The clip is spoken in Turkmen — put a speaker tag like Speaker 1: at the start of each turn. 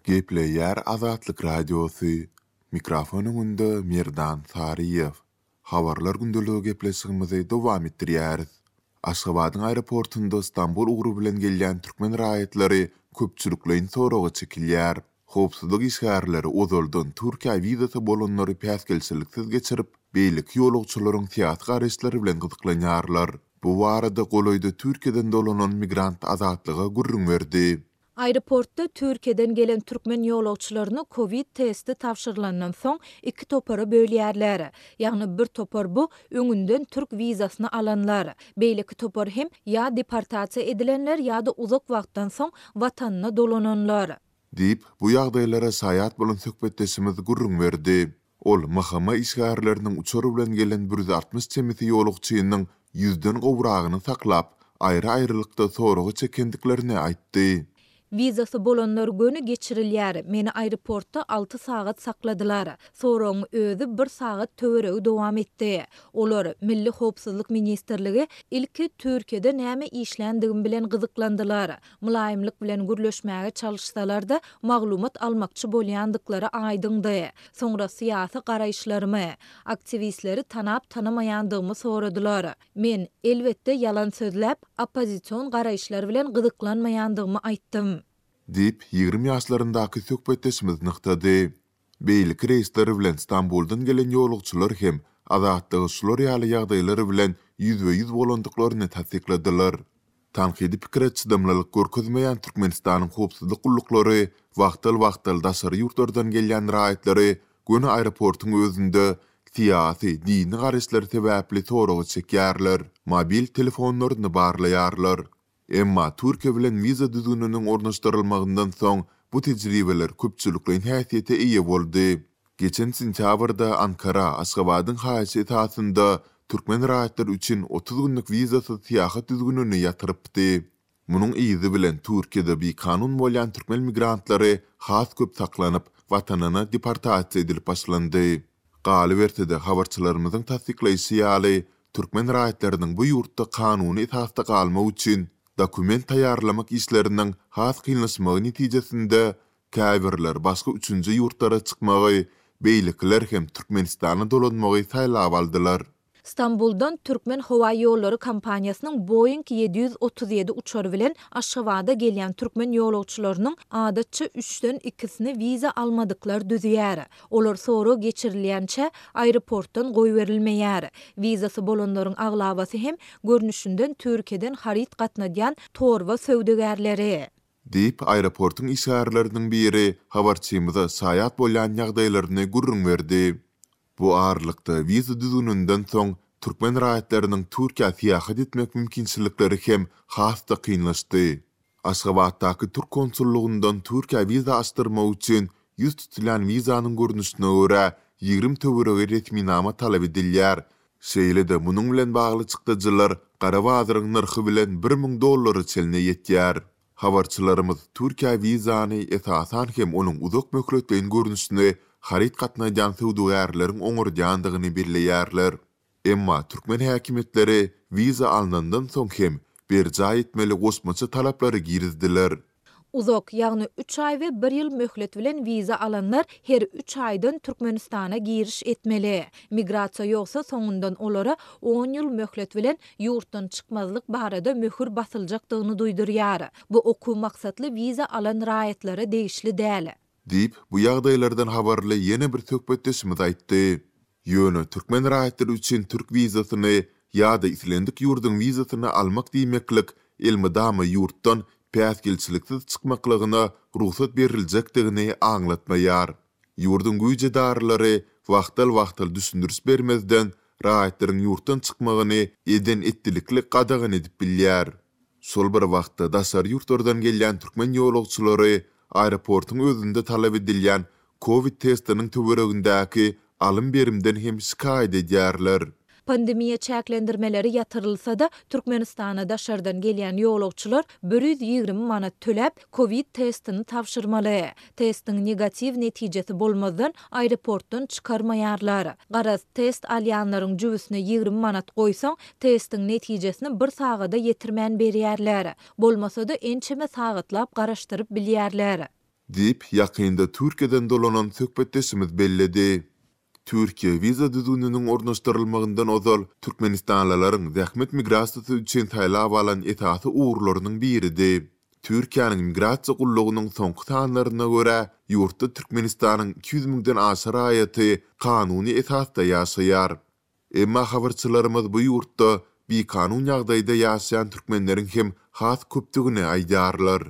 Speaker 1: Gepleýär Azatlyk Radiosy, Mikrofon öňünde Merdan Saryýew. Habarlar gündeligi gepleşigimizi dowam etdirýäris. Aşgabadyň aeroportunda Stambul ugry bilen gelýän türkmen raýatlary köpçülikleýin soraga çekilýär. Howpsuzlyk işgärleri ozaldan Türkiýä wizasy bolanlary päsgelçiliksiz geçirip, beýleki ýolagçylaryň syýasy garaýyşlary bilen gyzyklanýarlar. Bu barada golaýda Türkiýeden dolanan migrant Azatlyga gürrüň berdi.
Speaker 2: Aeroportda Türkiýeden gelen türkmen ýolagçylaryny kowid testi tabşyrylandan soň iki topara bölýärler. Ýagny bir topar bu öňünden türk wizasyny alanlar. Beýleki topar hem ýa deportasiýa edilenler ýa-da uzak wagtdan soň watanyna dolananlar.
Speaker 1: Diýip, bu ýagdaýlara şaýat bolan söhbetdeşimiz gürrüň berdi. Ol MHM işgärleriniň uçar bilen gelen 160 çemesi ýolagçynyň ýüzden gowragyny saklap, aýry-aýrylykda soraga çekendiklerini aýtdy.
Speaker 2: Wizasy bolanlar göni geçirilýär. Meni aeroportda alty sagat sakladylar. Soragyň özi bir sagat töweregi dowam etdi. Olar, Milli howpsuzlyk ministrligi, ilki Türkiýede näme işländigim bilen gyzyklandylar. Mylaýymlyk bilen gürleşmäge çalyşsalar-da, maglumat almakçy bolýandyklary aýdyňdy. Soňra syýasy garaýyşlarymy, aktiwistleri tanap-tanamaýandygymy soradylar. Men, elbetde, ýalan sözläp, oppozision garaýyşlar bilen gyzyklanmaýandygymy aýtdym.
Speaker 1: Diýip, 20 ýaşlaryndaky söhbetdeşimiz nygtady. Beýleki reýsler bilen Stambuldan gelen ýolagçylar hem Azatlyga şular ýaly ýagdaýlar bilen ýüzbe-ýüz bolandyklaryny tassykladylar. Tankydy pikire çydamlylyk görkezmeýän Türkmenistanyň howpsuzlyk gulluklary wagtal-wagtal daşary ýurtlardan gelýän raýatlary göni aeroportuň özünde syýasy, dini garaýyşlary sebäpli soraga çekýärler, mobil telefonlaryny barlaýarlar. Emma Türkiýe bilen wiza düzgüniniň ornaşdyrylmagyndan soň bu tejribeler köpçülikleýin häsiýete eýe boldy. Geçen sentýabrda Ankara Aşgabadyň haýyşy esasynda türkmen raýatlary üçin 30 günlük wizasyz syýahat düzgünini ýatyrypdy. Munuň yzy bilen Türkiýede bikanun bolýan türkmen migrantlary has köp saklanyp, watanyna deportasiýa edilip başlandy. Galyberse-de, habarçylarymyzyň tassyklaýşy ýaly, türkmen raýatlarynyň bu ýurtda kanuny esasda galmak üçin dokument taýýarlamak işleriniň has kynlaşmagy netijesinde käbirler başga üçünji ýurtlara çykmagy, beýlekiler hem Türkmenistana dolanmagy saýlap aldylar.
Speaker 2: Stambuldan Türkmen howa ýollary kompaniýasynyň Boeing 737 uçary bilen Aşgabada gelýän türkmen ýolagçylarynyň adatça üçden ikisini wiza almadyklar düzýär. Olar sorag geçirilýänçä aeroportdan goýberilmeýär. Wizasy bolanlaryň aglabasy hem görnüşinden Türkiýeden haryt gatnadýan torba söwdagärleri.
Speaker 1: Diýip, aeroportuň işgärleriniň biri habarçymyza şaýat bolýan ýagdaýlaryny gürrüň berdi. Bu aralykda, wiza düzgüninden soň, türkmen raýatlarynyň Türkiýä syýahat etmek mümkinçilikleri hem has-da kynlaşdy. Aşgabatdaky türk konsullygyndan Türkiýä wiza açdyrmak üçin ýüz tutulýan wizanyň görnüşine görä 20 töweregi resminama talap edilýär. Şeýle-de munuň bilen bagly çykdajylar gara bazaryň nyrhy bilen 1000 dollara çenli ýetýär. Habarçylarymyz Türkiýä wizany, esasan hem onuň uzak möhletleýin görnüşini haryt gatnadýan söwdagärleriň oňardýandygyny belleýärler. Emma türkmen häkimiýetleri wiza alnandan soň hem berjaý etmeli goşmaça talaplary girizdiler.
Speaker 2: Uzak, ýagny üç aý we bir ýyl möhlet bilen wiza alanlar her üç aýdan Türkmenistana giriş etmeli. Migrasiýa ýogsa soňundan olara on ýyl möhlet bilen ýurtdan çykmazlyk barada möhür basyljakdygyny duýdurýar. Bu okuw maksatly wiza alan raýatlara degişli däl.
Speaker 1: Diýip, bu ýagdaýlardan habarly ýene bir söhbetdeşimiz aýtdy. Ýöne türkmen raýatlary üçin türk wizasyny ýa-da islendik ýurduň wizasyny almak diýmeklik elmydama ýurtdan päsgelçiliksiz çykmaklygyna rugsat beriljekdigini aňlatmaýar. Ýurduň güýç edaralary wagtal-wagtal düşündiriş bermezden raýatlaryň ýurtdan çykmagyny eden-etdilikli gadagan edip bilýär. Şol bir wagtda daşary ýurtlardan gelýän türkmen ýolagçylary aeroportuň özünde talap edilýän kowid testiniň töweregindäki alym-berimden hem şikaýat edýärler.
Speaker 2: Pandemiýa çäklendirmeleri ýatyrylsa-da, Türkmenistana daşardan gelýän ýolagçylar 120 manat töläp, kowid testini tabşyrmaly. Testiň negatiw netijesi bolmazdan, aeroportdan çykarmaýarlar. Garaz, test alýanlaryň jübüsine 20 manat goýsaň, testiň netijesini bir sagada ýetirmän berýärler. Bolmasa-da, ençeme sagatlap garaşdyryp bilýärler.
Speaker 1: Diýip, ýakynda Türkiýeden dolanan söhbetdeşimiz belledi. Türkiýe wiza düzgüniniň ornaşdyrylmagyndan ozal türkmenistanlylaryň zähmet migrasiýasy üçin saýlap alan esasy ugurlarynyň biridi. Türkiýäniň Migrasiýa gullugynyň soňky sanlaryna görä, ýurtda Türkmenistanyň 200 müňden aşa raýaty kanuny esasda ýaşaýar. Emma habarçylarymyz bu ýurtda bikanun ýagdaýda ýaşaýan türkmenleriň hem has köpdügini aýdýarlar.